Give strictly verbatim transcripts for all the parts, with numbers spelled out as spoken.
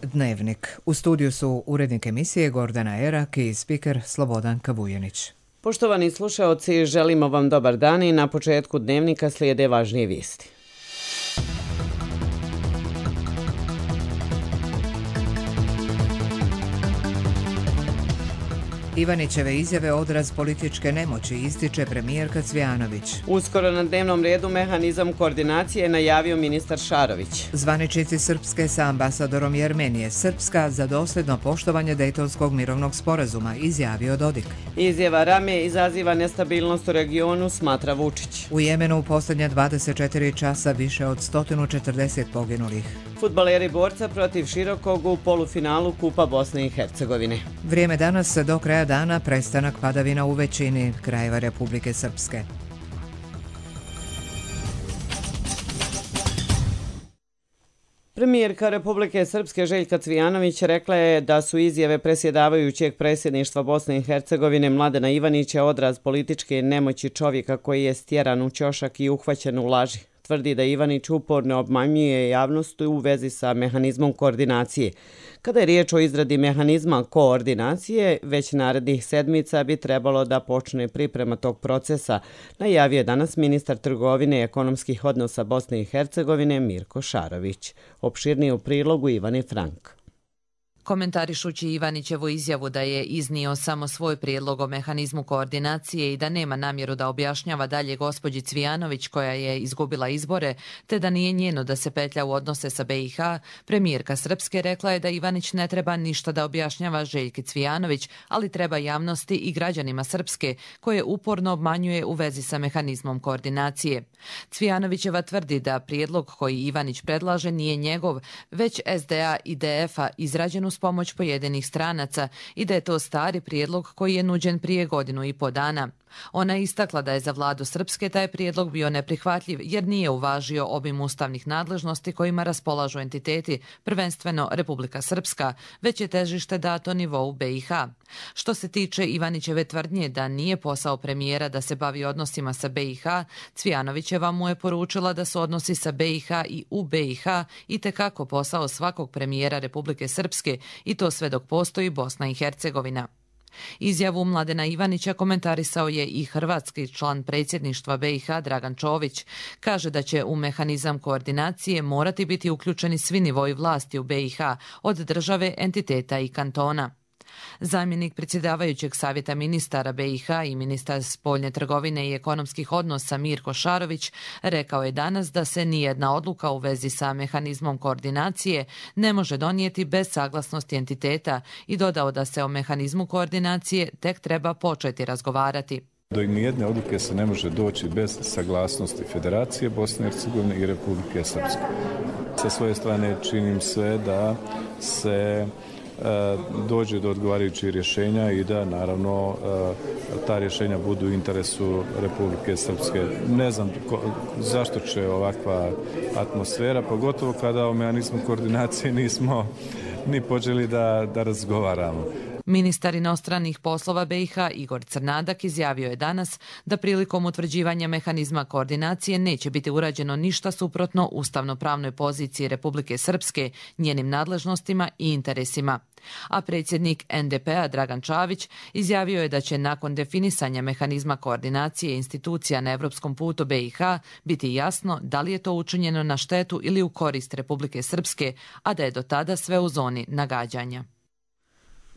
Dnevnik. U studiju su urednik emisije Gordana Erak i spiker Slobodan Kavujanić. Poštovani slušaoci, želimo vam dobar dan i na početku Dnevnika slijede važnije vijesti. Ivanićeve izjave odraz političke nemoći, ističe premijerka Cvijanović. Uskoro na dnevnom redu mehanizam koordinacije najavio ministar Šarović. Zvaničnici Srpske sa ambasadorom Jermenije. Srpska za dosljedno poštovanje Dejtonskog mirovnog sporazuma, izjavio Dodik. Izjava Rame izaziva nestabilnost u regionu, smatra Vučić. U Jemenu u posljednja dvadeset četiri časa više od sto četrdeset poginulih. Fudbaleri borca protiv Širokog u polufinalu Kupa Bosne i Hercegovine. Vrijeme danas do kraja dana, prestanak padavina u većini krajeva Republike Srpske. Premijerka Republike Srpske Željka Cvijanović rekla je da su izjave predsjedavajućeg predsjedništva Bosne i Hercegovine Mladena Ivanića odraz političke nemoći čovjeka koji je stjeran u ćošak i uhvaćen u laži. Tvrdi da Ivanić uporno obmanjuje javnost u vezi sa mehanizmom koordinacije. Kada je riječ o izradi mehanizma koordinacije, već narednih sedmica bi trebalo da počne priprema tog procesa, najavio je danas ministar trgovine i ekonomskih odnosa Bosne i Hercegovine Mirko Šarović. Opširnije u prilogu Ivane Frank. Komentarišući Ivanićevu izjavu da je iznio samo svoj prijedlog o mehanizmu koordinacije i da nema namjeru da objašnjava dalje gospođi Cvijanović koja je izgubila izbore, te da nije njeno da se petlja u odnose sa be i ha, premijerka Srpske rekla je da Ivanić ne treba ništa da objašnjava Željki Cvijanović, ali treba javnosti i građanima Srpske koje uporno obmanjuje u vezi sa mehanizmom koordinacije. Cvijanovićeva tvrdi da prijedlog koji Ivanić predlaže nije njegov, već es de a i de ef a izrađen uz pomoć pojedinih stranaca i da je to stari prijedlog koji je nuđen prije godinu i po dana. Ona je istakla da je za vladu Srpske taj prijedlog bio neprihvatljiv jer nije uvažio obim ustavnih nadležnosti kojima raspolažu entiteti, prvenstveno Republika Srpska, već je težište dato nivou be i ha. Što se tiče Ivanićeve tvrdnje da nije posao premijera da se bavi odnosima sa be i ha, Cvijanovićeva mu je poručila da su odnosi sa be i ha i u be i ha itekako posao svakog premijera Republike Srpske i to sve dok postoji Bosna i Hercegovina. Izjavu Mladena Ivanića komentarisao je i hrvatski član predsjedništva be i ha Dragan Čović. Kaže da će u mehanizam koordinacije morati biti uključeni svi nivoji vlasti u be i ha, od države, entiteta i kantona. Zamjenik predsjedavajućeg savjeta ministara be i ha i ministar spoljne trgovine i ekonomskih odnosa Mirko Šarović rekao je danas da se nijedna odluka u vezi sa mehanizmom koordinacije ne može donijeti bez saglasnosti entiteta i dodao da se o mehanizmu koordinacije tek treba početi razgovarati. Do nijedne odluke se ne može doći bez saglasnosti Federacije Bosne i Hercegovine i Republike Srpske. Sa svoje strane činim sve da se dođe do odgovarajućih rješenja i da naravno ta rješenja budu u interesu Republike Srpske. Ne znam ko, zašto će ovakva atmosfera, pogotovo kada o mehanizmu koordinacije nismo ni počeli da, da razgovaramo. Ministar inostranih poslova be i ha Igor Crnadak izjavio je danas da prilikom utvrđivanja mehanizma koordinacije neće biti urađeno ništa suprotno ustavno-pravnoj poziciji Republike Srpske, njenim nadležnostima i interesima. A predsjednik en de pe a Dragan Čavić izjavio je da će nakon definisanja mehanizma koordinacije institucija na evropskom putu be i ha biti jasno da li je to učinjeno na štetu ili u korist Republike Srpske, a da je do tada sve u zoni nagađanja.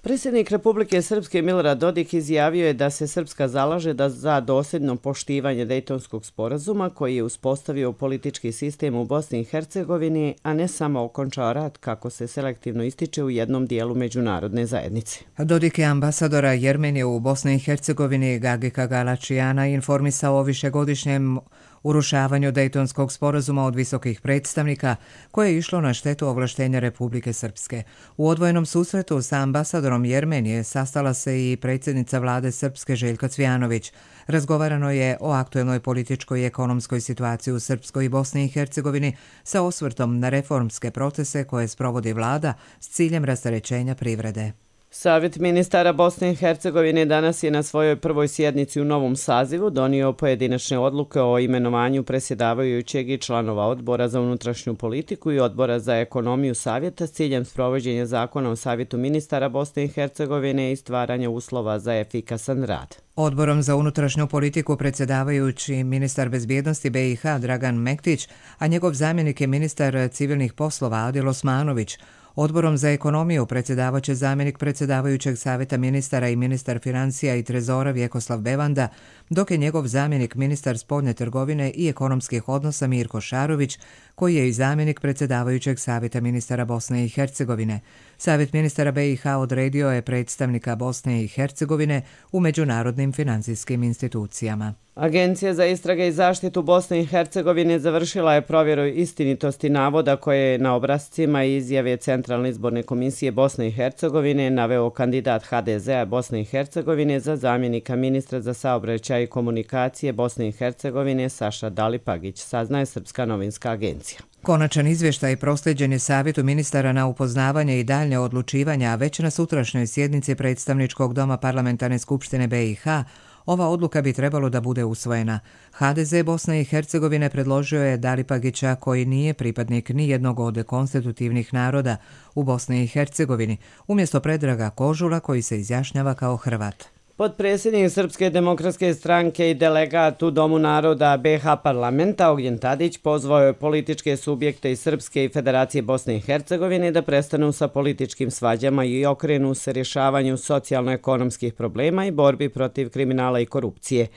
Predsjednik Republike Srpske Milorad Dodik izjavio je da se Srpska zalaže da za dosljedno poštivanje Dejtonskog sporazuma koji je uspostavio politički sistem u Bosni i Hercegovini, a ne samo okončao rat kako se selektivno ističe u jednom dijelu međunarodne zajednice. Dodik je ambasadora Jermenije u Bosni i Hercegovini Gagika Galačijana informisao o višegodišnjem urušavanju Dejtonskog sporazuma od visokih predstavnika koje je išlo na štetu ovlaštenja Republike Srpske. U odvojenom susretu sa ambasadorom Jermenije sastala se i predsjednica vlade Srpske Željka Cvijanović. Razgovarano je o aktuelnoj političkoj i ekonomskoj situaciji u Srpskoj i Bosni i Hercegovini sa osvrtom na reformske procese koje sprovodi vlada s ciljem rasterećenja privrede. Savjet ministara Bosne i Hercegovine danas je na svojoj prvoj sjednici u novom sazivu donio pojedinačne odluke o imenovanju predsjedavajućeg i članova odbora za unutrašnju politiku i odbora za ekonomiju savjeta s ciljem sprovođenja zakona o Savjetu ministara Bosne i Hercegovine i stvaranja uslova za efikasan rad. Odborom za unutrašnju politiku predsjedavajući ministar bezbjednosti B i H Dragan Mektić, a njegov zamjenik je ministar civilnih poslova Adil Osmanović. Odborom za ekonomiju predsjedavaće zamjenik predsjedavajućeg savjeta ministara i ministar financija i trezora Vjekoslav Bevanda, dok je njegov zamjenik ministar spoljne trgovine i ekonomskih odnosa Mirko Šarović, koji je i zamjenik predsjedavajućeg savjeta ministara Bosne i Hercegovine. Savjet ministara B i H odredio je predstavnika Bosne i Hercegovine u međunarodnim financijskim institucijama. Agencija za istrage i zaštitu Bosne i Hercegovine završila je provjeru istinitosti navoda koje je na obrascima i izjave Centralne izborne komisije Bosne i Hercegovine naveo kandidat H D Z-a Bosne i Hercegovine za zamjenika ministra za saobraćaj i komunikacije Bosne i Hercegovine Saša Dalipagić, saznaje Srpska novinska agencija. Konačan izvještaj proslijeđen je Savjetu ministara na upoznavanje i daljnje odlučivanja, a već na sutrašnjoj sjednici Predstavničkog doma Parlamentarne skupštine B i H ova odluka bi trebalo da bude usvojena. H D Z Bosne i Hercegovine predložio je Dalipagića, koji nije pripadnik ni jednog od konstitutivnih naroda u Bosni i Hercegovini, umjesto Predraga Kožula, koji se izjašnjava kao Hrvat. Potpredsjednik Srpske demokratske stranke i delegat u Domu naroda B H parlamenta Ognjen Tadić pozvao je političke subjekte iz Srpske i Federacije Bosne i Hercegovine da prestanu sa političkim svađama i okrenu se rješavanju socijalno-ekonomskih problema i borbi protiv kriminala i korupcije.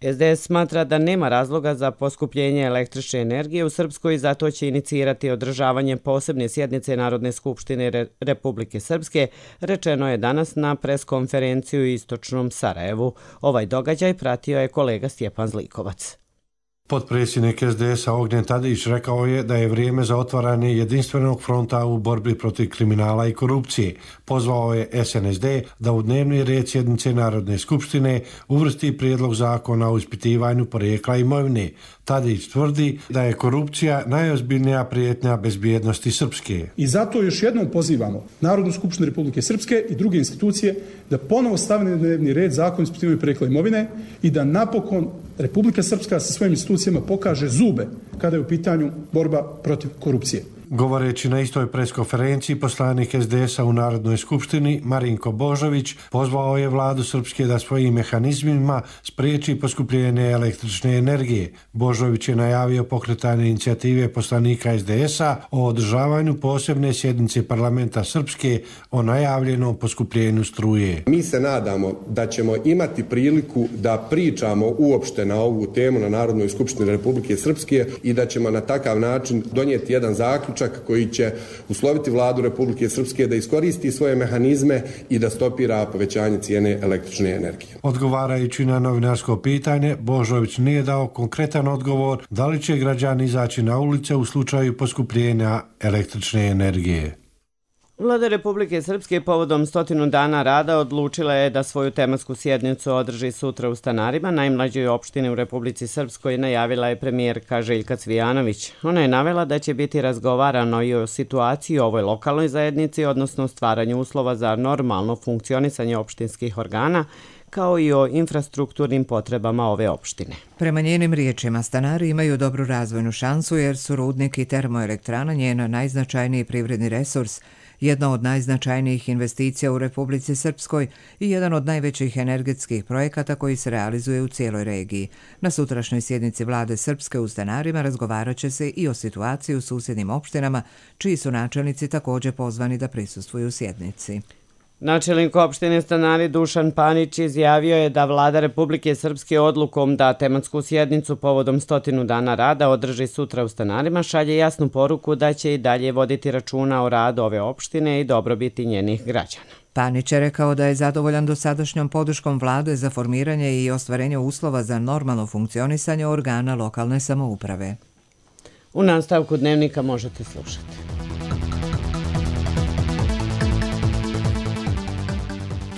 S D S smatra da nema razloga za poskupljenje električne energije u Srpskoj i zato će inicirati održavanje posebne sjednice Narodne skupštine Re- Republike Srpske, rečeno je danas na preskonferenciju u istočnom Sarajevu. Ovaj događaj pratio je kolega Stjepan Zlikovac. Potpredsjednik S D S-a Ognjen Tadić rekao je da je vrijeme za otvaranje jedinstvenog fronta u borbi protiv kriminala i korupcije. Pozvao je S N S D da u dnevni red sjednice Narodne skupštine uvrsti prijedlog zakona o ispitivanju porijekla imovine. Tadić tvrdi da je korupcija najozbiljnija prijetnja bezbjednosti Srpske. I zato još jednom pozivamo Narodnu skupštinu Republike Srpske i druge institucije da ponovo stave na dnevni red zakon o ispitivanju porijekla imovine i da napokon Republika Srpska sa svojim institucijama pokaže zube kada je u pitanju borba protiv korupcije. Govoreći na istoj preskonferenciji, poslanik S D S-a u Narodnoj skupštini Marinko Božović pozvao je vladu Srpske da svojim mehanizmima spriječi poskupljenje električne energije. Božović je najavio pokretanje inicijative poslanika S D S-a o održavanju posebne sjednice parlamenta Srpske o najavljenom poskupljenju struje. Mi se nadamo da ćemo imati priliku da pričamo uopšte na ovu temu na Narodnoj skupštini Republike Srpske i da ćemo na takav način donijeti jedan zaključak koji će usloviti vladu Republike Srpske da iskoristi svoje mehanizme i da stopira povećanje cijene električne energije. Odgovarajući na novinarsko pitanje, Božović nije dao konkretan odgovor da li će građani izaći na ulice u slučaju poskupljenja električne energije. Vlada Republike Srpske povodom stotinu dana rada odlučila je da svoju tematsku sjednicu održi sutra u Stanarima, najmlađoj opštini u Republici Srpskoj, najavila je premijerka Željka Cvijanović. Ona je navela da će biti razgovarano i o situaciji u ovoj lokalnoj zajednici, odnosno stvaranju uslova za normalno funkcionisanje opštinskih organa, kao i o infrastrukturnim potrebama ove opštine. Prema njenim riječima, Stanari imaju dobru razvojnu šansu jer su rudnik i termoelektrana njen najznačajniji privredni resurs, jedna od najznačajnijih investicija u Republici Srpskoj i jedan od najvećih energetskih projekata koji se realizuje u cijeloj regiji. Na sutrašnjoj sjednici vlade Srpske u Stanarima razgovarat će se i o situaciji u susjednim opštinama, čiji su načelnici također pozvani da prisustvuju sjednici. Načelnik opštine Stanari Dušan Panić izjavio je da vlada Republike Srpske odlukom da tematsku sjednicu povodom stotinu dana rada održi sutra u Stanarima šalje jasnu poruku da će i dalje voditi računa o radu ove opštine i dobrobiti njenih građana. Panić je rekao da je zadovoljan dosadašnjom podrškom vlade za formiranje i ostvarenje uslova za normalno funkcionisanje organa lokalne samouprave. U nastavku dnevnika možete slušati.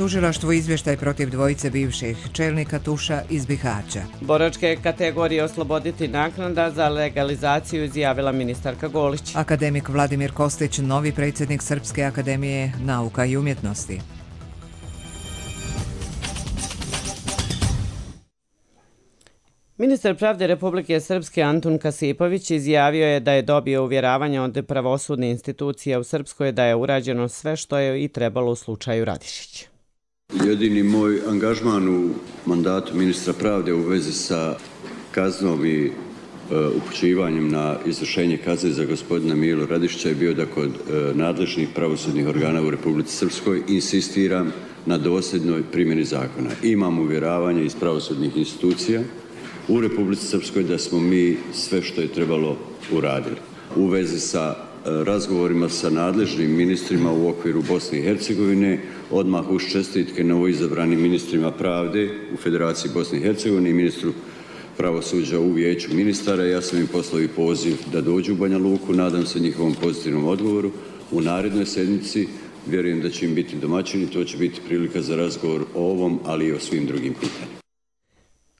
Tužilaštvo izvještaj protiv dvojice bivših čelnika Tuša iz Bihaća. Boračke kategorije osloboditi naknada za legalizaciju, izjavila ministarka Golić. Akademik Vladimir Kostić, novi predsjednik Srpske akademije nauka i umjetnosti. Ministar pravde Republike Srpske Antun Kasipović izjavio je da je dobio uvjeravanje od pravosudne institucije u Srpskoj da je urađeno sve što je i trebalo u slučaju Radišić. Jedini moj angažman u mandatu ministra pravde u vezi sa kaznom i e, upućivanjem na izvršenje kazne za gospodina Milu Radišića je bio da kod e, nadležnih pravosudnih organa u Republici Srpskoj insistiram na dosljednoj primjeni zakona. Imam uvjeravanje iz pravosudnih institucija u Republici Srpskoj da smo mi sve što je trebalo uradili. U vezi sa razgovorima sa nadležnim ministrima u okviru Bosne i Hercegovine, odmah uz čestitke novoizabranim ministrima pravde u Federaciji Bosne i Hercegovine i ministru pravosuđa u vijeću ministara, ja sam im poslao i poziv da dođu u Banja Luku, nadam se njihovom pozitivnom odgovoru. U narednoj sedmici vjerujem da će im biti domaćini, to će biti prilika za razgovor o ovom, ali i o svim drugim pitanjima.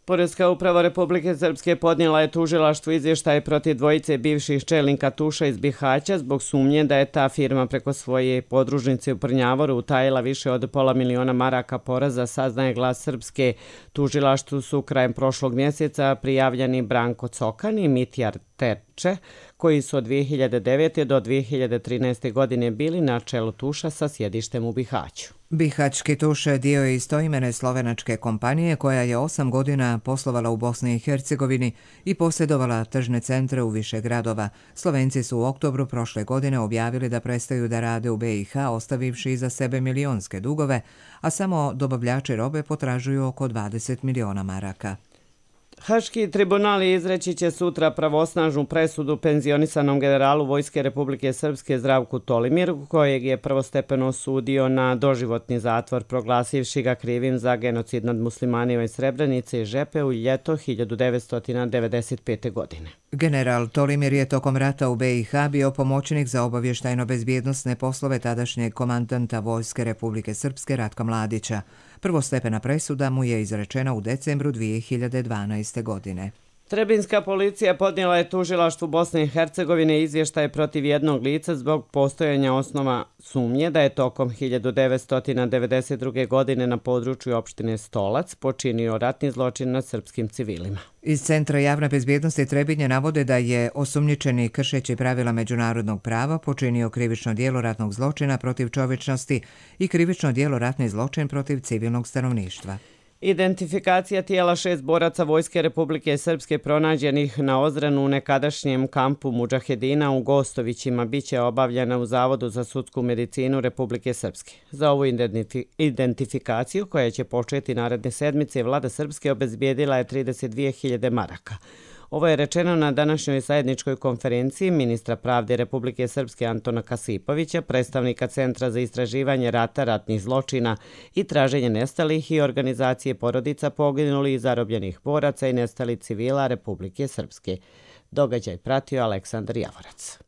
Poreska uprava Republike Srpske podnijela je tužilaštvu izvještaj protiv dvojice bivših čelnika Tuša iz Bihaća zbog sumnje da je ta firma preko svoje podružnice u Prnjavoru utajila više od pola miliona maraka poreza, saznaje Glas Srpske. Tužilaštvu su krajem prošlog mjeseca prijavljeni Branko Cokan i Mitjar Terče, koji su od dvije hiljade devete. do dvije hiljade trinaeste. godine bili na čelu Tuša sa sjedištem u Bihaću. Bihaćki Tuš dio je istoimene slovenačke kompanije koja je osam godina poslovala u Bosni i Hercegovini i posjedovala tržne centre u više gradova. Slovenci su u oktobru prošle godine objavili da prestaju da rade u B i H, ostavivši iza sebe milionske dugove, a samo dobavljači robe potražuju oko dvadeset miliona maraka. Haški tribunali izreći će sutra pravosnažnu presudu penzionisanom generalu Vojske Republike Srpske Zdravku Tolimiru, kojeg je prvostepeno osudio na doživotni zatvor, proglasivši ga krivim za genocid nad muslimanima iz Srebrenice i Žepe u ljeto hiljadu devetsto devedeset pete. godine. General Tolimir je tokom rata u B i H bio pomoćnik za obavještajno-bezbjednosne poslove tadašnjeg komandanta Vojske Republike Srpske Ratka Mladića. Prvostepena presuda mu je izrečena u decembru dvije hiljade dvanaeste. godine. Trebinska policija podnijela je tužilaštvu Bosne i Hercegovine izvještaj protiv jednog lica zbog postojanja osnova sumnje da je tokom hiljadu devetsto devedeset druge. godine na području opštine Stolac počinio ratni zločin nad srpskim civilima. Iz Centra javne bezbjednosti Trebinje navode da je osumnjičeni kršeći pravila međunarodnog prava počinio krivično djelo ratnog zločina protiv čovječnosti i krivično djelo ratni zločin protiv civilnog stanovništva. Identifikacija tijela šest boraca Vojske Republike Srpske pronađenih na Ozrenu u nekadašnjem kampu Mudžahedina u Gostovićima biće obavljena u Zavodu za sudsku medicinu Republike Srpske. Za ovu identifikaciju, koja će početi naredne sedmice, vlada Srpske obezbijedila je trideset dvije hiljade maraka. Ovo je rečeno na današnjoj zajedničkoj konferenciji ministra pravde Republike Srpske Antona Kasipovića, predstavnika Centra za istraživanje rata, ratnih zločina i traženje nestalih i organizacije porodica poginulih i zarobljenih boraca i nestalih civila Republike Srpske. Događaj pratio Aleksandar Javorac.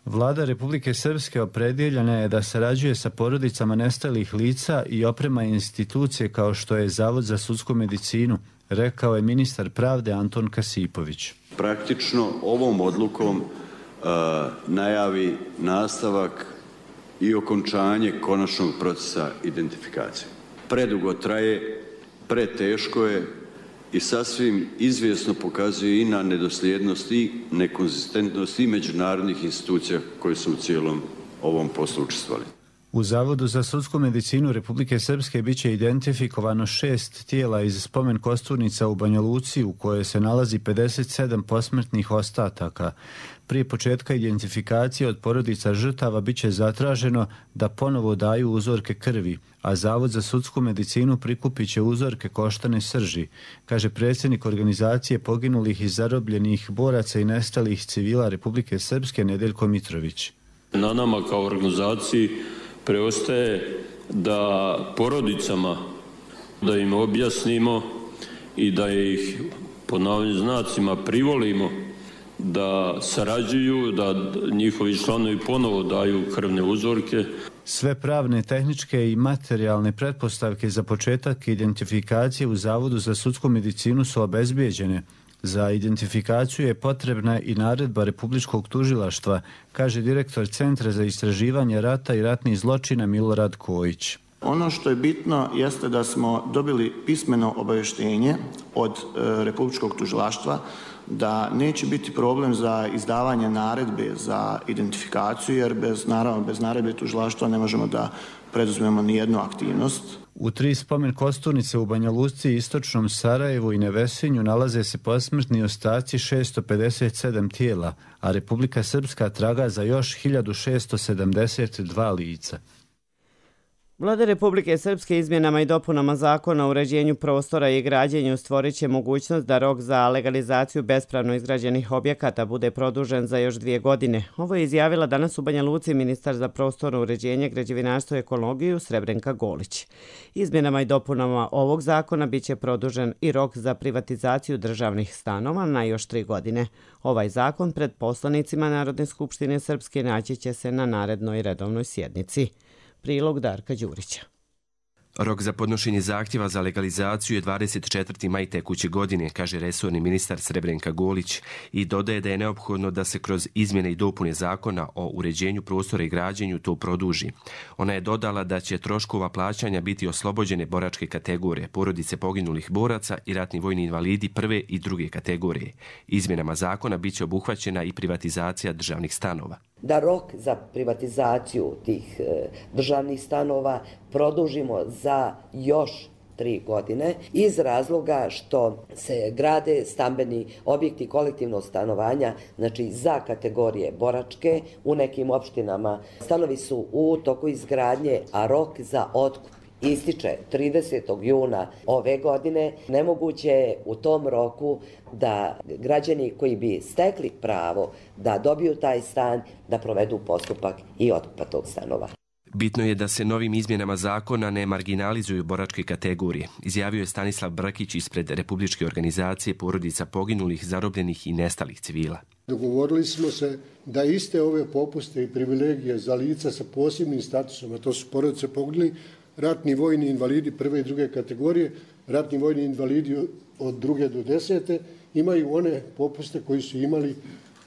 Vlada Republike Srpske opredjeljena je da sarađuje sa porodicama nestalih lica i oprema institucije kao što je Zavod za sudsku medicinu, rekao je ministar pravde Anton Kasipović. Praktično ovom odlukom uh, najavi nastavak i okončanje konačnog procesa identifikacije. Predugo traje, preteško je i sasvim izvjesno pokazuje i na nedosljednost i nekonzistentnost i međunarodnih institucija koje su u cijelom ovom poslu učestvovali. U Zavodu za sudsku medicinu Republike Srpske biće identifikovano šest tijela iz spomen kosturnica u Banja Luci u kojoj se nalazi pedeset sedam posmrtnih ostataka. Prije početka identifikacije od porodica žrtava biće zatraženo da ponovo daju uzorke krvi, a Zavod za sudsku medicinu prikupit će uzorke koštane srži, kaže predsjednik organizacije poginulih i zarobljenih boraca i nestalih civila Republike Srpske Nedeljko Mitrović. Na nama kao organizaciji preostaje da porodicama, da im objasnimo i da ih po navodnim znacima privolimo da sarađuju, da njihovi članovi ponovo daju krvne uzorke. Sve pravne, tehničke i materijalne pretpostavke za početak identifikacije u Zavodu za sudsku medicinu su obezbijeđene. Za identifikaciju je potrebna i naredba Republičkog tužilaštva, kaže direktor Centra za istraživanje rata i ratnih zločina Milorad Kojić. Ono što je bitno jeste da smo dobili pismeno obavještenje od e, Republičkog tužilaštva da neće biti problem za izdavanje naredbe za identifikaciju, jer bez, naravno, bez naredbe tužilaštva ne možemo da preduzmemo ni jednu aktivnost. U tri spomen kosturnice u Banja Luci, Istočnom Sarajevu i Nevesinju nalaze se posmrtni ostaci šesto pedeset sedam tijela, a Republika Srpska traga za još hiljadu šesto sedamdeset dva lica. Vlada Republike Srpske izmjenama i dopunama Zakona o uređenju prostora i građenju stvorit će mogućnost da rok za legalizaciju bespravno izgrađenih objekata bude produžen za još dvije godine. Ovo je izjavila danas u Banja Luci ministar za prostorno uređenje, građevinarstvo i ekologiju Srebrenka Golić. Izmjenama i dopunama ovog zakona biće produžen i rok za privatizaciju državnih stanova na još tri godine. Ovaj zakon pred poslanicima Narodne skupštine Srpske naći će se na narednoj redovnoj sjednici. Prilog Darka Đurića. Rok za podnošenje zahtjeva za legalizaciju je dvadeset četvrti maj tekuće godine, kaže resorni ministar Srebrenka Golić i dodaje da je neophodno da se kroz izmjene i dopune zakona o uređenju prostora i građenju to produži. Ona je dodala da će troškova plaćanja biti oslobođene boračke kategorije, porodice poginulih boraca i ratni vojni invalidi prve i druge kategorije. Izmjenama zakona biće obuhvaćena i privatizacija državnih stanova. Da rok za privatizaciju tih e, državnih stanova produžimo za još tri godine iz razloga što se grade stambeni objekti kolektivnog stanovanja, znači za kategorije boračke. U nekim opštinama stanovi su u toku izgradnje, a rok za otkup ističe tridesetog juna ove godine. Nemoguće je u tom roku da građani koji bi stekli pravo da dobiju taj stan, da provedu postupak i otkupa tog stanova. Bitno je da se novim izmjenama zakona ne marginalizuju boračke kategorije, izjavio je Stanislav Brkić ispred Republičke organizacije porodica poginulih, zarobljenih i nestalih civila. Dogovorili smo se da iste ove popuste i privilegije za lica sa posebnim statusom, a to su porodice poginulih, ratni vojni invalidi prve i druge kategorije, ratni vojni invalidi od druge do desete, imaju one popuste koji su imali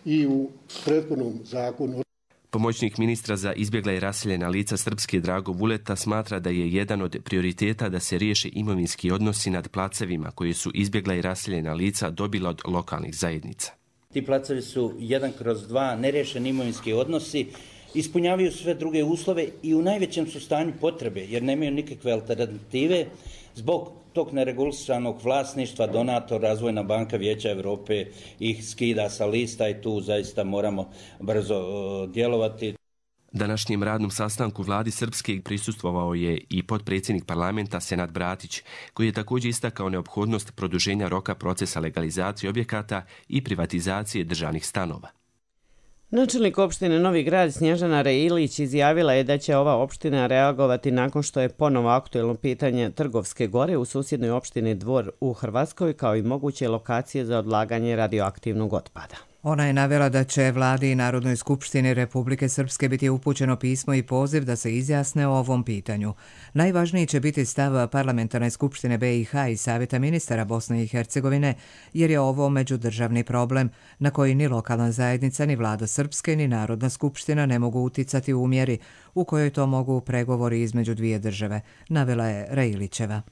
i u prethodnom zakonu. Pomoćnik ministra za izbjegla i raseljena lica Srpske Drago Vuleta smatra da je jedan od prioriteta da se riješe imovinski odnosi nad placevima koje su izbjegla i raseljena lica dobila od lokalnih zajednica. Ti placevi su jedan kroz dva nerješeni imovinski odnosi, ispunjavaju sve druge uslove i u najvećem su stanju potrebe jer nemaju nikakve alternative zbog tog neregulisanog vlasništva. Donator, Razvojna banka Vijeća Europe ih skida sa lista i tu zaista moramo brzo uh, djelovati. Današnjem radnom sastanku vladi Srpske prisustvovao je i potpredsjednik parlamenta Senad Bratić, koji je također istakao neophodnost produženja roka procesa legalizacije objekata i privatizacije državnih stanova. Načelnik opštine Novi Grad Snježana Reilić izjavila je da će ova opština reagovati nakon što je ponovo aktuelno pitanje Trgovske gore u susjednoj opštini Dvor u Hrvatskoj, kao i moguće lokacije za odlaganje radioaktivnog otpada. Ona je navela da će vladi i Narodnoj skupštini Republike Srpske biti upućeno pismo i poziv da se izjasne o ovom pitanju. Najvažniji će biti stav Parlamentarne skupštine B i H i Savjeta ministara Bosne i Hercegovine, jer je ovo međudržavni problem na koji ni lokalna zajednica, ni vlada Srpske, ni Narodna skupština ne mogu uticati u mjeri u kojoj to mogu pregovori između dvije države, navela je Reilićeva.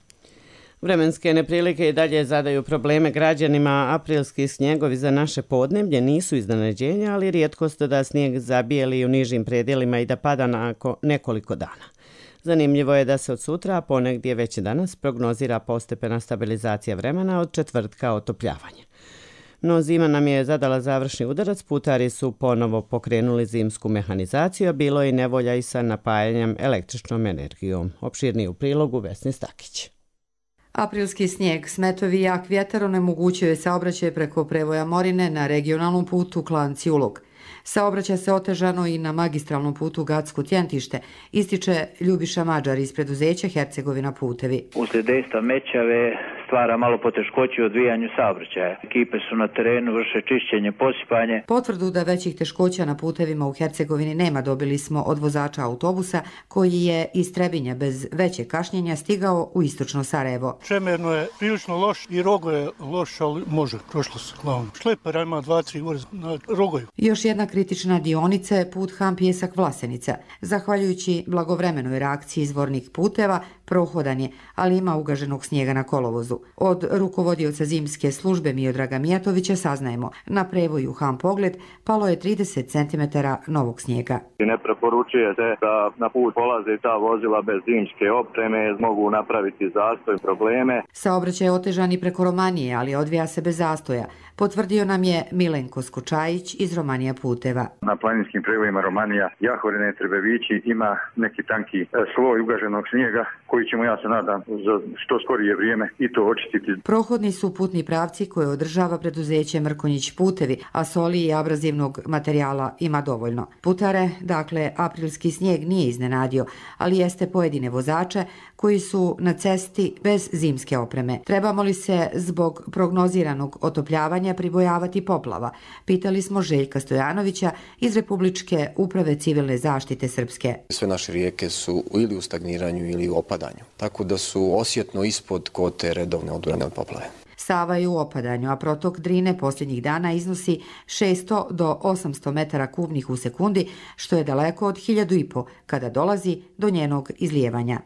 Vremenske neprilike i dalje zadaju probleme građanima. Aprilski snjegovi za naše podneblje nisu iznenađenja, ali rijetkost da snijeg zabijeli u nižim predjelima i da pada nakon nekoliko dana. Zanimljivo je da se od sutra, a ponegdje već danas, prognozira postepena stabilizacija vremena, od četvrtka otopljavanje. No zima nam je zadala završni udarac, putari su ponovo pokrenuli zimsku mehanizaciju, a bilo je i nevolja i sa napajanjem električnom energijom. Opširniji u prilogu Vesni Stakić. Aprilski snijeg, smetovi i jak vjetar onemogućio je saobraćaj preko prevoja Morine na regionalnom putu Klanci-Ulog. Saobraća se otežano i na magistralnom putu Gacko-Tjentište, ističe Ljubiša Mađar iz preduzeća Hercegovina putevi. Uslijed dejstva mećave stvara malo poteškoći u odvijanju saobraćaja. Ekipe su na terenu, vrše čišćenje, posipanje. Potvrdu da većih teškoća na putevima u Hercegovini nema dobili smo od vozača autobusa koji je iz Trebinja bez većeg kašnjenja stigao u istočno Sarajevo. Čemerno je prilično loš i Rogo je loš, ali može, prošlo se glavno. Šlepera ima dva, tri gore na Rogoju. Još jedna kritična dionica je put Ham Pjesak-Vlasenica. Zahvaljujući blagovremenoj reakciji izvornih puteva, prohodan je, ali ima ugaženog snijega na kolovozu. Od rukovodioca zimske službe Miodraga Mijatovića saznajemo, na prevoju Ham Pogled palo je trideset centimetara novog snijega. Ne preporučuje se da na put polaze ta vozila bez zimske opreme, mogu napraviti zastoj, probleme. Saobraćaj je otežan i preko Romanije, ali odvija se bez zastoja. Potvrdio nam je Milenko Skočajić iz Romanija puteva. Na planinskim prevojima Romanija, Jahorine, Trebevići ima neki tanki sloj ugaženog snijega koji ćemo, ja se nadam, za što skorije vrijeme i to očistiti. Prohodni su putni pravci koje održava preduzeće Mrkonjić putevi, a soli i abrazivnog materijala ima dovoljno. Putare, dakle, aprilski snijeg nije iznenadio, ali jeste pojedine vozače koji su na cesti bez zimske opreme. Trebamo li se zbog prognoziranog otopljavanja pribojavati poplava? Pitali smo Željka Stojanovića iz Republičke uprave civilne zaštite Srpske. Sve naše rijeke su ili u stagniranju ili u opadanju, tako da su osjetno ispod kote redovne odbrane od poplave. Sava je u opadanju, a protok Drine posljednjih dana iznosi šesto do osamsto metara kubnih u sekundi, što je daleko od hiljadu i po kada dolazi do njenog izlijevanja.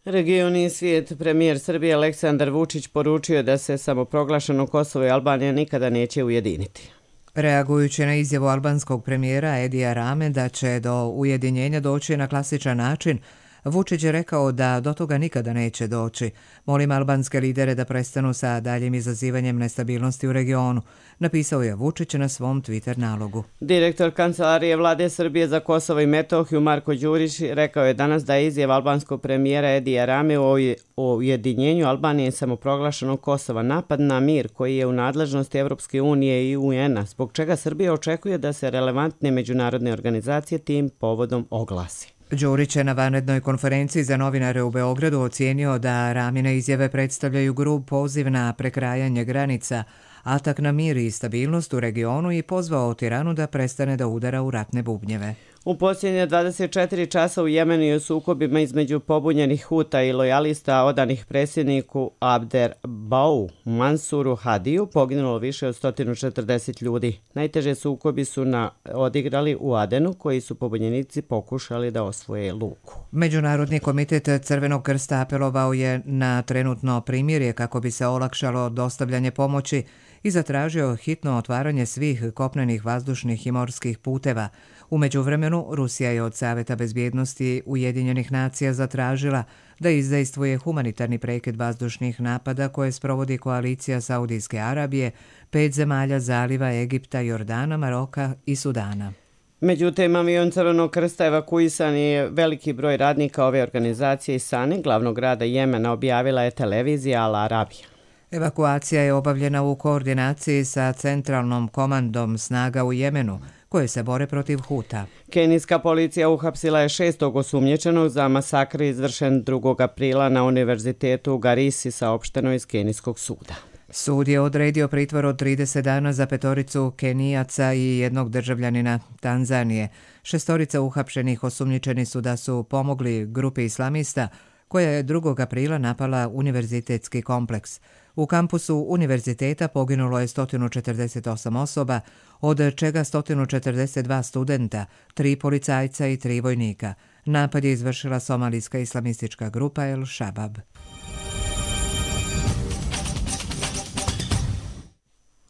Region i svijet. Premijer Srbije Aleksandar Vučić poručio da se samoproglašeno Kosovo i Albanija nikada neće ujediniti. Reagujući na izjavu albanskog premijera Edija Rame da će do ujedinjenja doći na klasičan način, Vučić je rekao da do toga nikada neće doći. Molim albanske lidere da prestanu sa daljim izazivanjem nestabilnosti u regionu, napisao je Vučić na svom Twitter nalogu. Direktor Kancelarije Vlade Srbije za Kosovo i Metohiju Marko Đurić rekao je danas da je izjava albanskog premijera Edija Rame o ujedinjenju Albanije i samoproglašenog Kosova napad na mir koji je u nadležnosti Evropske unije i U N-a, zbog čega Srbija očekuje da se relevantne međunarodne organizacije tim povodom oglasi. Đurić je na vanrednoj konferenciji za novinare u Beogradu ocijenio da Ramine izjave predstavljaju grub poziv na prekrajanje granica, atak na mir i stabilnost u regionu i pozvao Tiranu da prestane da udara u ratne bubnjeve. U posljednje dvadeset četiri časa u Jemenu i u sukobima između pobunjenih Huta i lojalista odanih predsjedniku Abder Bau Mansuru Hadiju poginulo više od sto četrdeset ljudi. Najteže sukobi su na odigrali u Adenu, koji su pobunjenici pokušali da osvoje luku. Međunarodni komitet Crvenog krsta apelovao je na trenutno primirje kako bi se olakšalo dostavljanje pomoći i zatražio hitno otvaranje svih kopnenih, vazdušnih i morskih puteva. U međuvremenu, Rusija je od Saveta bezbjednosti Ujedinjenih nacija zatražila da izdejstvuje humanitarni prekid vazdušnih napada koje sprovodi koalicija Saudijske Arabije, pet zemalja zaliva Egipta, Jordana, Maroka i Sudana. Međutim, avion Crvenog krsta evakuisan je veliki broj radnika ove organizacije iz Sane, glavnog grada Jemena, objavila je televizija Al Arabija. Evakuacija je obavljena u koordinaciji sa centralnom komandom snaga u Jemenu, koje se bore protiv Huta. Kenijska policija uhapsila je šestog osumnjičenog za masakr izvršen drugog aprila na univerzitetu u Garisi, saopšteno iz Kenijskog suda. Sud je odredio pritvor od trideset dana za petoricu Kenijaca i jednog državljanina Tanzanije. Šestorica uhapšenih osumnjičeni su da su pomogli grupi islamista koja je drugog aprila napala univerzitetski kompleks. U kampusu univerziteta poginulo je sto četrdeset osam osoba, od čega sto četrdeset dva studenta, tri policajca i tri vojnika. Napad je izvršila somalijska islamistička grupa El Shabab.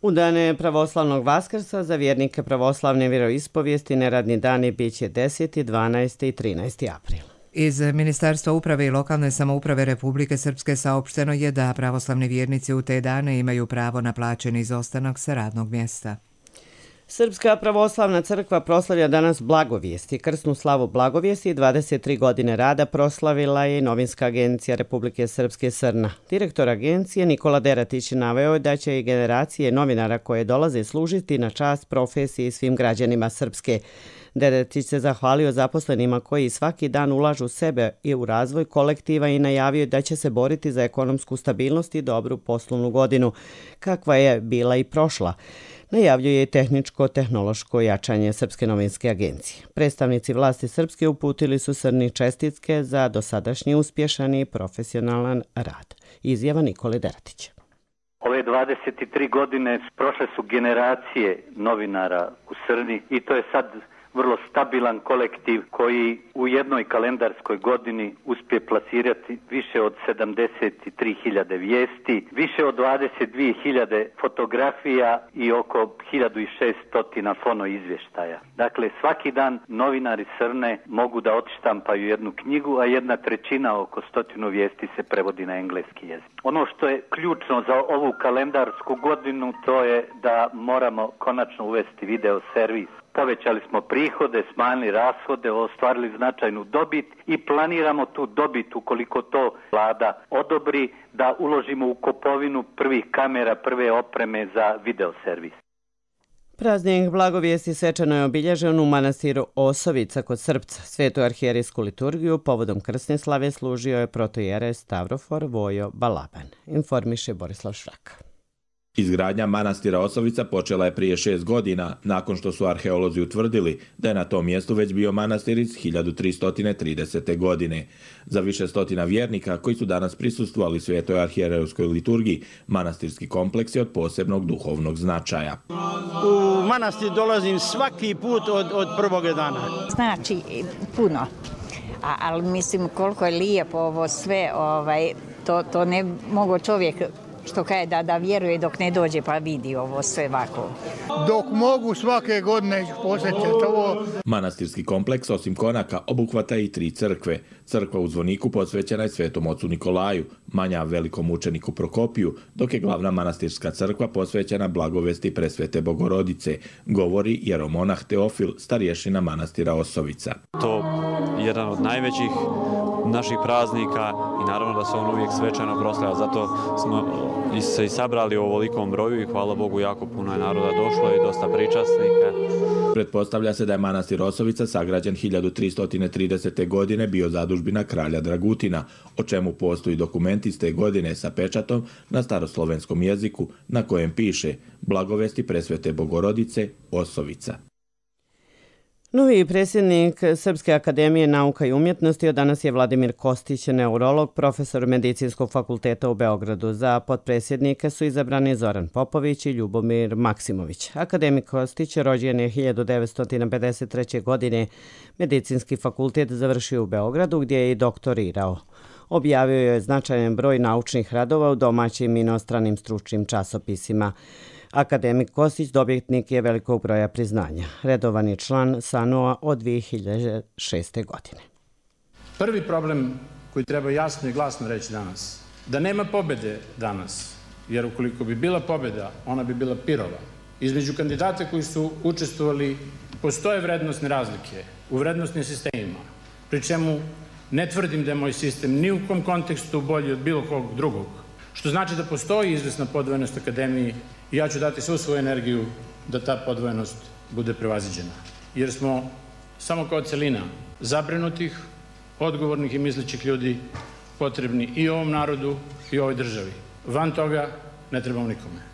U dane pravoslavnog Vaskrsa za vjernike pravoslavne vjeroispovijesti neradni dani bit će deseti, dvanaesti i trinaesti april. Iz Ministarstva uprave i lokalne samouprave Republike Srpske saopšteno je da pravoslavni vjernici u te dane imaju pravo na plaćeni izostanak sa radnog mjesta. Srpska pravoslavna crkva proslavlja danas Blagovijesti. Krsnu slavu Blagovijesti i dvadeset tri godine rada proslavila je Novinska agencija Republike Srpske Srna. Direktor agencije Nikola Deratić naveo je da će i generacije novinara koje dolaze služiti na čast profesiji i svim građanima Srpske. Deratić se zahvalio zaposlenima koji svaki dan ulažu sebe i u razvoj kolektiva i najavio da će se boriti za ekonomsku stabilnost i dobru poslovnu godinu, kakva je bila i prošla. Najavljuje i tehničko-tehnološko jačanje Srpske novinske agencije. Predstavnici vlasti Srpske uputili su Srni čestitke za dosadašnji uspješan i profesionalan rad. Izjava Nikole Deratića. Ove dvadeset tri godine prošle su generacije novinara u Srni i to je sad vrlo stabilan kolektiv koji u jednoj kalendarskoj godini uspije plasirati više od sedamdeset tri hiljade vijesti, više od dvadeset dvije hiljade fotografija i oko hiljadu šesto fono izvještaja. Dakle, svaki dan novinari Srne mogu da odštampaju jednu knjigu, a jedna trećina, oko stotinu vijesti, se prevodi na engleski jezik. Ono što je ključno za ovu kalendarsku godinu, to je da moramo konačno uvesti video servis. Povećali smo prihode, smanjili rashode, ostvarili značajnu dobit i planiramo tu dobit, ukoliko to vlada odobri, da uložimo u kupovinu prvih kamera, prve opreme za video servis. Praznik Blagovijesti svečano je obilježen u manastiru Osovica kod Srpca. Svetu arhijerijsku liturgiju povodom krsne slave služio je protojerej Stavrofor Vojo Balaban, informiše Borislav Švraka. Izgradnja manastira Osovica počela je prije šest godina, nakon što su arheolozi utvrdili da je na tom mjestu već bio manastir iz hiljadu tristo tridesete. godine. Za više stotina vjernika koji su danas prisustvovali Svetoj arhijerejskoj liturgiji, manastirski kompleks je od posebnog duhovnog značaja. U manastir dolazim svaki put od, od prvog dana. Znači puno, A, ali mislim koliko je lijepo ovo sve, ovaj, to, to ne mogu čovjek što kaže da, da vjeruje dok ne dođe pa vidi ovo sve ovako. Dok mogu svake godine posjetiti ovo. Manastirski kompleks osim konaka obuhvata i tri crkve. Crkva u Zvoniku posvećena je Svetom ocu Nikolaju, manja velikom učeniku Prokopiju, dok je glavna manastirska crkva posvećena Blagovesti Presvete Bogorodice, govori jeromonah Teofil, starješina manastira Osovica. To je jedan od najvećih naših praznika i naravno da se on uvijek svečano proslavlja, zato smo se i sabrali u ovolikom broju i hvala Bogu jako puno je naroda došlo i dosta pričasnika. Pretpostavlja se da je manastir Osovica sagrađen hiljadu tristo tridesete. godine bio zadužbina kralja Dragutina, o čemu postoji dokument iz te godine sa pečatom na staroslovenskom jeziku na kojem piše Blagovesti Presvete Bogorodice Osovica. Novi predsjednik Srpske akademije nauka i umjetnosti od danas je Vladimir Kostić, neurolog, profesor Medicinskog fakulteta u Beogradu. Za potpredsjednike su izabrani Zoran Popović i Ljubomir Maksimović. Akademik Kostić rođen je hiljadu devetsto pedeset treće. godine. Medicinski fakultet završio u Beogradu gdje je i doktorirao. Objavio je značajan broj naučnih radova u domaćim i inostranim stručnim časopisima. Akademik Kostić dobitnik je velikog broja priznanja. Redovan je član S A N O A od dvije hiljade šeste. godine. Prvi problem koji treba jasno i glasno reći danas, da nema pobjede danas, jer ukoliko bi bila pobjeda, ona bi bila pirova. Između kandidata koji su učestvovali postoje vrednostne razlike u vrednostnim sistemima, pri čemu ne tvrdim da je moj sistem ni u kom kontekstu bolji od bilo kog drugog, što znači da postoji izvesna podvojenost akademiji i ja ću dati svu svoju energiju da ta podvojenost bude prevaziđena. Jer smo samo kao celina zabrinutih, odgovornih i mislećih ljudi potrebni i ovom narodu i ovoj državi. Van toga ne trebamo nikome.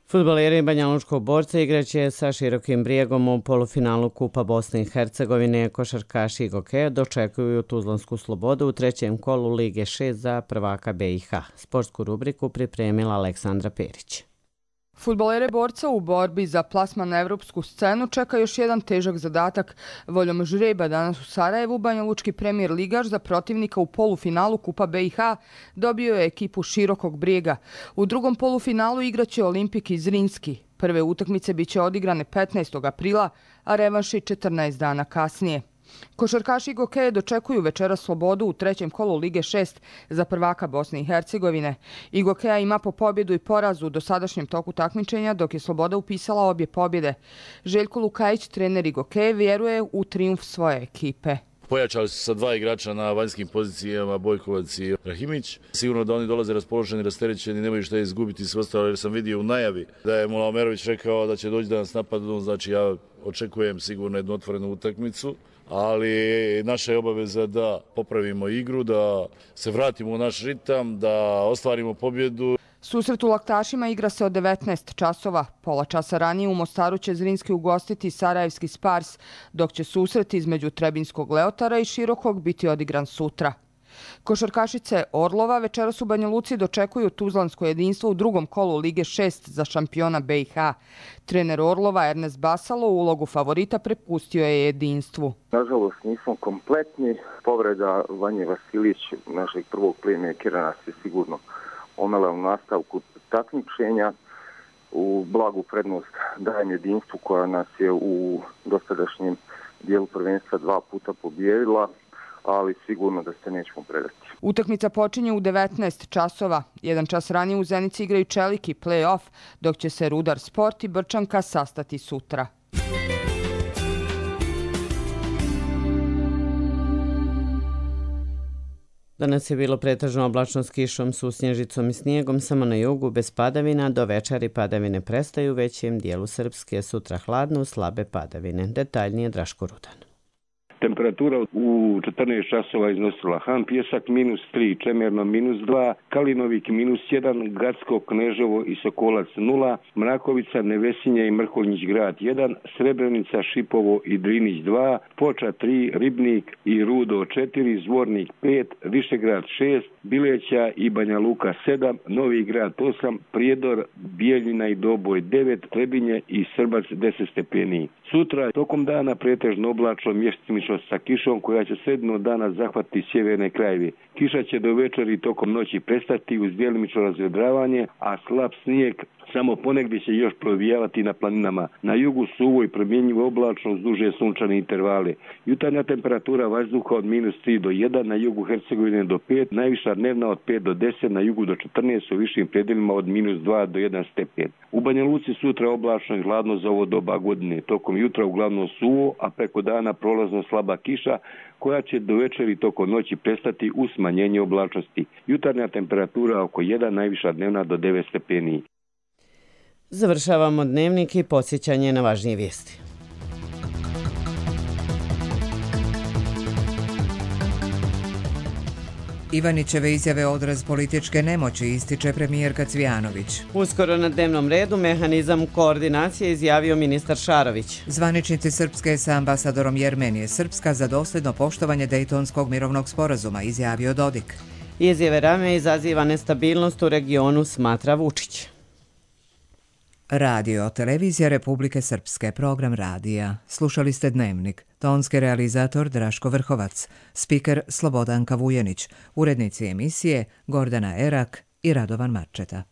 Fudbaleri Banjalučkog Borca igraće sa Širokim Brijegom u polufinalu Kupa Bosne i Hercegovine. Košarkaši i Gokeja dočekuju Tuzlansku Slobodu u trećem kolu Lige šest za prvaka B i H. Sportsku rubriku pripremila Aleksandra Perić. Fudbalere Borca u borbi za plasman na evropsku scenu čeka još jedan težak zadatak. Voljom žreba danas u Sarajevu banjalučki premijer ligaš za protivnika u polufinalu Kupa B i H dobio je ekipu Širokog Brijega. U drugom polufinalu igraće Olimpik iz Zrinski. Prve utakmice biće odigrane petnaestog aprila, a revanši četrnaest dana kasnije. Košarkaši Gokeje dočekuju večera slobodu u trećem kolu Lige šest za prvaka Bosne i Hercegovine. Gokeja ima po pobjedu i porazu u dosadašnjem toku takmičenja, dok je Sloboda upisala obje pobjede. Željko Lukajić, trener Gokeje, vjeruje u trijumf svoje ekipe. Pojačali su sa dva igrača na vanjskim pozicijama, Bojkovac i Rahimić. Sigurno da oni dolaze raspoloženi, rasterećeni, nemaju šta izgubiti sve ostalo, jer sam vidio u najavi da je Mula Omerović rekao da će doći da nas napadnu, znači ja očekujem sigurno jednu otvorenu utakmicu, ali naša je obaveza da popravimo igru, da se vratimo u naš ritam, da ostvarimo pobjedu. Susret u Laktašima igra se od devetnaest časova. Pola časa ranije u Mostaru će Zrinski ugostiti Sarajevski Spars, dok će susret između Trebinskog Leotara i Širokog biti odigran sutra. Košarkašice Orlova večeras u Banja Luci dočekuju tuzlansko jedinstvo u drugom kolu Lige šest za šampiona B i H. Trener Orlova Ernest Basalo ulogu favorita prepustio je jedinstvu. Nažalost nismo kompletni. Povreda Vanje Vasilić, našeg prvog playmakera, nas je sigurno omela u nastavku takmičenja. U blagu prednost dajem jedinstvu koja nas je u dosadašnjem dijelu prvenstva dva puta pobijedila, ali sigurno da se nećemo predati. Utakmica počinje u devetnaest časova. Jedan čas ranije u Zenici igraju Čelik i play-off, dok će se Rudar Sport i Brčanka sastati sutra. Danas je bilo pretežno oblačno s kišom, susnježicom i snijegom, samo na jugu bez padavina. Do večeri padavine prestaju u većem dijelu Srpske, sutra hladno, slabe padavine. Detaljnije Draško Rudan. Temperatura u četrnaest časova iznosila Han Pjesak minus tri, Čemerno minus dva, Kalinovik minus jedan, Gacko, Kneževo i Sokolac nula, Mrakovica, Nevesinja i Mrkonjić grad jedan, Srebrenica, Šipovo i Drinić dva, Foča tri, Ribnik i Rudo četiri, Zvornik pet, Višegrad šest, Bileća i Banja Luka sedam, Novi grad osam, Prijedor, Bijeljina i Doboj devet, Trebinje i Srbac deset stepeni. Sutra tokom dana pretežno oblačno, mjestimično sa kišom koja će sredino dana zahvatiti sjeverne krajeve. Kiša će do večeri tokom noći prestati uz djelimično razvedravanje, a slab snijeg samo ponegdje će još provijavati na planinama. Na jugu suvo i promjenjivo oblačno uz duže sunčane intervale. Jutarnja temperatura vazduha od minus tri do jedan, na jugu Hercegovine do pet, najviša dnevna od pet do deset, na jugu do četrnaest, u višim predjelima od minus dva do jedan stepen. U Banja Luci sutra oblačno i hladno za ovo doba godine. Tokom jutra uglavnom suvo, a preko dana prolazno slaba kiša koja će do večeri tokom noći prestati uz smanjenje oblačnosti. Jutarnja temperatura oko jedan, najviša dnevna do devet stepeni. Završavamo dnevnik i podsjećanje na važnije vijesti. Ivanićeve izjave odraz političke nemoći, ističe premijerka Cvijanović. Uskoro na dnevnom redu mehanizam koordinacije izjavio ministar Šarović. Zvaničnici Srpske sa ambasadorom Jermenije Srpska za dosljedno poštovanje Dejtonskog mirovnog sporazuma, izjavio Dodik. Izjave Rame izaziva nestabilnost u regionu, smatra Vučić. Radio, televizija Republike Srpske, program radija. Slušali ste Dnevnik. Tonski realizator Draško Vrhovac, spiker Slobodanka Vujenić, urednici emisije Gordana Erak i Radovan Marčeta.